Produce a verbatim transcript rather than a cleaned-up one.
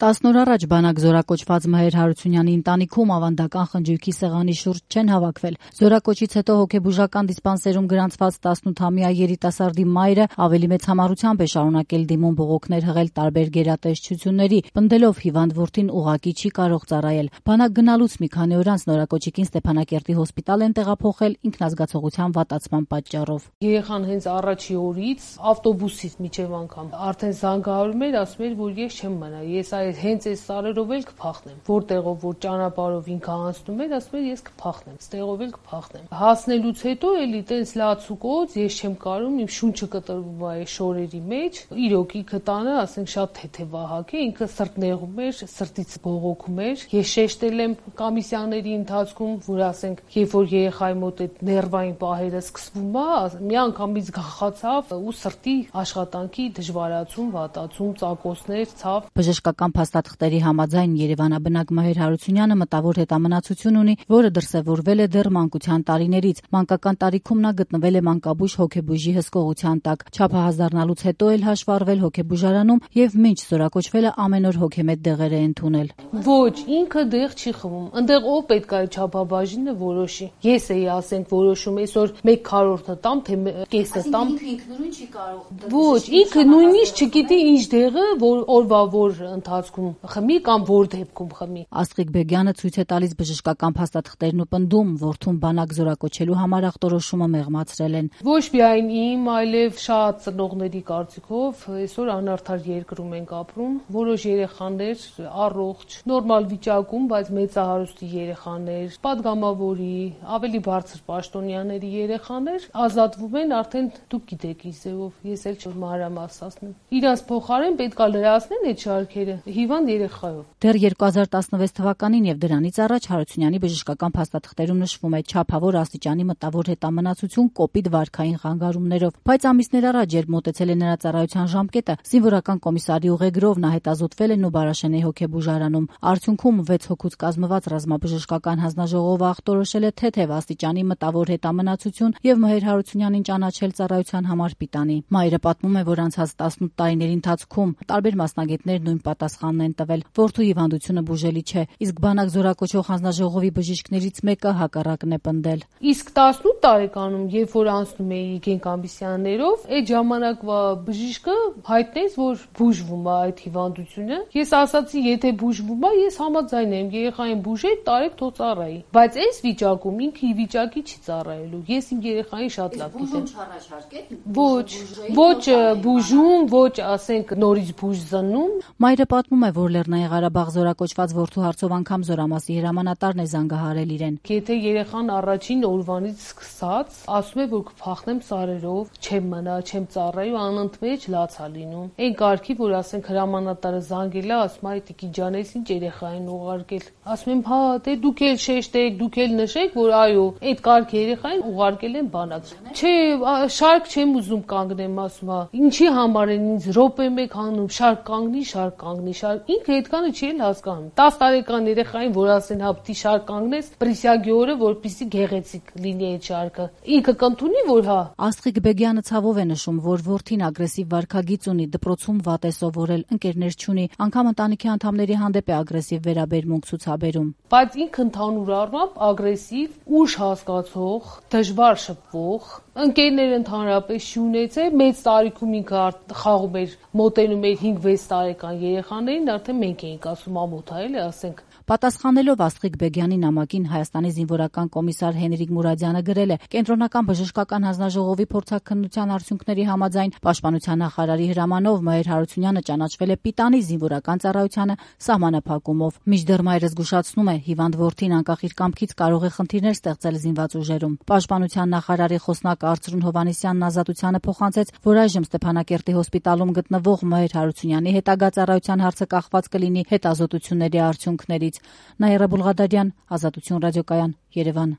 տասն օր առաջ բանակ զորակոչված Մհեր Հարությունյանի ընտանիքում ավանդական խնջույքի սեղանի շուրջ չեն հավաքվել։ Զորակոչից հետո հոգեբուժական դիսպանսերում գրանցված տասնութամյա երիտասարդի մայրը ավելի մեծ համառությամբ է շարունակել դիմում բողոքներ հղել տարբեր գերատեսչությունների, պնդելով հիվանդ որդին ուղղակի չի կարող ծառայել։ Բանակ գնալուց մի քանի օր անց նորակոչիկին Ստեփանակերտի հոսպիտալ են տեղափոխել ինքնազգացողության վատացման պատճառով։ Երեխան հենց առաջի օրից ավտոբուսից միջև անգամ արդեն զանգահարում էր, ասում էր, որ ես չեմ մնա, ես այ հենց այս սարերով էլ կփախնեմ, որտեղով որ ճանապարհով ինքը անցնում էր, ասում էր ես կփախնեմ, ստեղով էլ կփախնեմ։ Հասնելուց հետո էլի տենց լացուկոց, ես չեմ կարում, իմ շունչը կտրվում է այս շորերի մեջ, իրոք ինքը տանը, ասենք շատ թեթևահակ է, ինքը սրտնեղում էր, սրտից բողոքում էր։ Ես շեշտել եմ կոմիսիաների ընթացքում, որ ասենք, երբ որ երեխայի մոտ այդ ներվային պահերը սկսվում է, մի անգամից գախացավ ու սրտի աշխատանքի դժվարացում, վատացում, ծակոսներ, ցավ։ Բժշկական փաստաթղթերի համաձայն Երևանաբնակ Մհեր Հարությունյանը մտավոր հետամնացություն ունի, որը դրսևորվել է դեռ մանկության տարիներից։ Մանկական տարիքում նա գտնվել է մանկաբույժ հոգեբույժի հսկողության տակ։ Չափահաս դառնալուց հետո էլ հաշվառվել հոգեբուժարանում եւ մինչ զորակոչվելը ամեն օր հոգեմետ դեղեր է ընդունել։ Ոչ, ինքը դեղ չի խմում։ Այնտեղ ով պետք է չափաբաժինը որոշի։ Ես էի ասենք որոշում, այսօր մեկ քառորդը տամ, թե կեսը տամ։ Ինքը ինքնուրույն չի կարող։ Ոչ, ինքը նույնիսկ չգիտի ինչ դեղը, որ օրվա որ ընթացքում խմի կամ որ դեպքում խմի։ Աստղիկ Բեգյանը ցույց է տալիս բժշկական փաստաթղթերն ու պնդում, որդուն բանակ զորակոչելու համար ախտորոշումը մեղմացրել են։ Ոչ միայն իմ, այլև շատ ծնողների կարծիքով այսօր անարդար երկրում ենք ապրում, որոշ երեխաներ առողջ, նորմալ վիճակում, բայց մեծահարուստի երեխաներ, падգամավորի, ավելի բարձր պաշտոնյաների երեխաներ ազատվում են արդեն դուք գիտեք ինչ ձևով, ես էլ չմանրամասնեմ։ Իրանց փոխարեն պետք է լրացնեն այդ շարքերը հիվանդ երեխայով։ Դեռ երկու հազար տասնվեց թվականին եւ դրանից առաջ Հարությունյանի բժշկական փաստաթղթերում նշվում է չափավոր աստիճանի մտավոր հետամնացություն կոպիտ վարքային խանգարումներով, բայց ամիսներ առաջ, երբ մոտեցել է նրա ծառայության ժամկետը, զինվորական կոմիսարի ուղեգրով նա հետազոտվել է Նուբարաշենի հոգեբուժարանում։ Արդյունքում վեց հոգուց կազմված ռազմաբժշկական հանձնաժողովը ախտորոշել է թեթև աստիճանի մտավոր հետամնացություն եւ Մհեր Հարությունյանին ճանաչել ծառայության համար պիտանի։ Մայրը պատմում է, որ անցած տասնութ տարիների ընթացքում տարբեր մասնագետներ նույն պատասխանն են տվել՝ որդու հիվանդությունը բուժելի չէ, իսկ բանակ զորակոչող հանձնաժողովի բժիշկներից մեկը հակառակն է պնդել։ Իսկ տասնութ տարեկանում, երբ որ անցնում էի գենկոմիսիաներով, այդ ժամանակվա բժիշկը հայտնեց, որ բուժվում է այդ հիվանդությունը։ Ես ասացի, եթե բուժվում է, ես համաձայն եմ, երեխային բուժեք, տարեք թող ծառայի։ Բայց այս վիճակում ինքը ի վիճակի չի ծառայելու։ Ես իմ երեխային շատ լավ գիտեմ։ Ոչ, ոչ բուժում, ոչ ասենք նորից բուժ զննում։ Մայրը պատմում է, որ Լեռնային Ղարաբաղ զորակոչված որդու հարցով անգամ զորամասի հրամանատարն է զանգահարել իրեն։ Եթե երեխան առաջին օրվանից սկսած ասում է, որ կփախնեմ սարերով, չեմ մնա, չեմ ծառայի ու անընդմեջ լաց է լինում։ Այն կարգի, որ ասենք հրամանատարը զանգել է, ասում է՝ «Տիկի ջան, ես ինչ երեխային ուղարկել»։ Ասում եմ՝ «Հա, դե դուք էլ շեշտեք, դուք էլ նշեք, որ այո, այդ կարգի երեխային ուղարկել են բանակ»։ Չէ, շարք չեմ ուզում կանգնեմ, ասում է։ Ինչի համար են ինձ րոպե մեկ հանում, շարք կանգնի, շարք կանգնի, շարք։ Ինքը այդքանը չի էլ հասկանում։ տաս տարեկան երեխային, որ ասեն, հա, պիտի շարք կանգնես, պրիսյագի օրը, որպեսզի գեղեցիկ լինի այդ շարքը։ Ինքը կընդունի, որ հա։ Աստղիկ Բեգյանը ցավով է նշում, որ որդին ագրեսիվ վարքագիծ ունի, դպրոցում վատ է սովորել, ընկերներ չունի, անգամ ընտանիքի անդամների հանդեպ է ագրեսիվ վերաբերմունք ցուցաբերում։ Բայց ինքը ընդհանուր առմամբ ագրեսիվ, ուժ հասկացող, դժվար շփվող, ընկերներ ընդհանրապես չունեցել, մեծ տարիքում ինքը խաղում էր, մոտենում էր հինգ-վեց տարեկան երեխաներին, արդեն մենք էինք ասում ամոթ է, էլի ասենք։ Պատասխանելով Աստղիկ Բեգյանի նամակին Հայաստանի զինվորական կոմիսար Հենրիկ Մուրադյանը գրել է. Կենտրոնական բժշկական հանձնաժողովի փորձաքննության արդյունքների համաձայն պաշտպանության նախարարի հրամանով Մհեր Հարությունյանը ճանաչվել է պիտանի զինվորական ծառայությանը սահմանափակումով։ Մինչդեռ մայրը զգուշացնում է, հիվանդ որդին անկախ իր կամքից կարող է խնդիրներ ստեղծել զինված ուժերում։ Պաշտպանության նախարարի խոսնակ Արծրուն Հովհաննիսյանն ազատությանը փոխանցեց, որ այժմ Ստեփանակերտի հոսպիտալում գտնվող Մհեր Հարությունյանի հետագա ծառայության հարցը կախված կլինի հետազոտությունների արդյունքներից։ Նաիրա Բուլղադարյան, Ազատություն ռադիոկայան, Երևան։